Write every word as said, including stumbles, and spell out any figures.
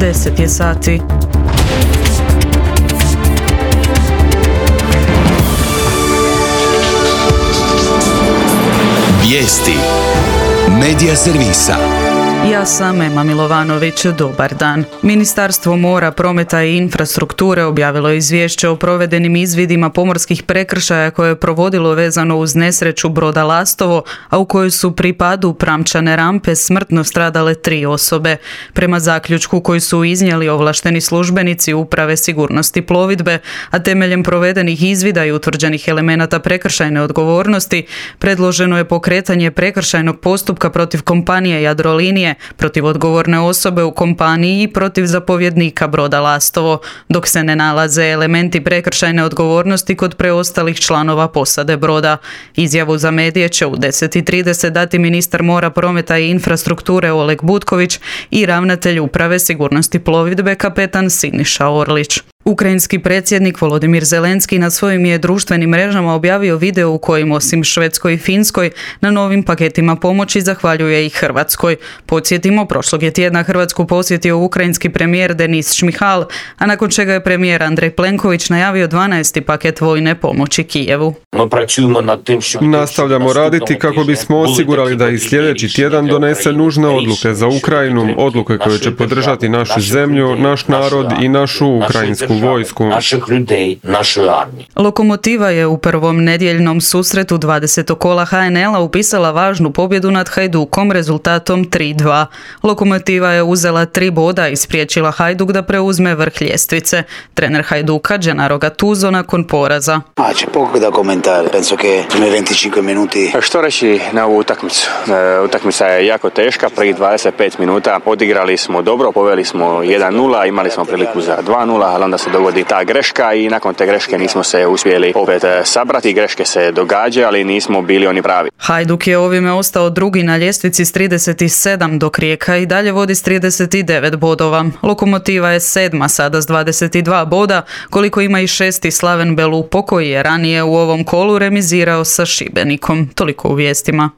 deset je sati. Vijesti Medija servisa. Ja sam Ema Milovanović, dobar dan. Ministarstvo mora, prometa i infrastrukture objavilo izvješće o provedenim izvidima pomorskih prekršaja koje je provodilo vezano uz nesreću broda Lastovo, a u kojoj su pri padu pramčane rampe smrtno stradale tri osobe. Prema zaključku koji su iznijeli ovlašteni službenici Uprave sigurnosti plovidbe, a temeljem provedenih izvida i utvrđenih elemenata prekršajne odgovornosti, predloženo je pokretanje prekršajnog postupka protiv kompanije Jadrolinije, protiv odgovorne osobe u kompaniji i protiv zapovjednika broda Lastovo, dok se ne nalaze elementi prekršajne odgovornosti kod preostalih članova posade broda. Izjavu za medije će u deset i trideset dati ministar mora, prometa i infrastrukture Oleg Butković i ravnatelj Uprave sigurnosti plovidbe kapetan Siniša Orlić. Ukrajinski predsjednik Volodimir Zelenski na svojim je društvenim mrežama objavio video u kojem osim Švedskoj i Finskoj na novim paketima pomoći zahvaljuje i Hrvatskoj. Podsjetimo, prošlog je tjedna Hrvatsku posjetio ukrajinski premijer Denis Šmihal, a nakon čega je premijer Andrej Plenković najavio dvanaesti paket vojne pomoći Kijevu. Nastavljamo raditi kako bismo osigurali da i sljedeći tjedan donese nužne odluke za Ukrajinu, odluke koje će podržati našu zemlju, naš narod i našu ukrajinsku vojsku. Lokomotiva je u prvom nedjeljnom susretu dvadesetog kola ha en el-a upisala važnu pobjedu nad Hajdukom rezultatom tri dva. Lokomotiva je uzela tri boda i spriječila Hajduk da preuzme vrh ljestvice. Trener Hajduka Gennaro Gattuso nakon poraza. Što reći na ovu utakmicu? Utakmica je jako teška, prvih dvadeset pet minuta odigrali smo dobro, poveli smo jedan nula, imali smo priliku za dva nula, ali onda se dogodi ta greška i nakon te greške nismo se uspjeli opet sabrati. Greške se događaju, ali nismo bili oni pravi. Hajduk je ovime ostao drugi na ljestvici s trideset sedam, dok Rijeka i dalje vodi s trideset devet bodova. Lokomotiva je sedma sada s dvadeset dva boda, koliko ima i šesti Slaven Belupo koji je ranije u ovom kolu remizirao sa Šibenikom. Toliko u vijestima.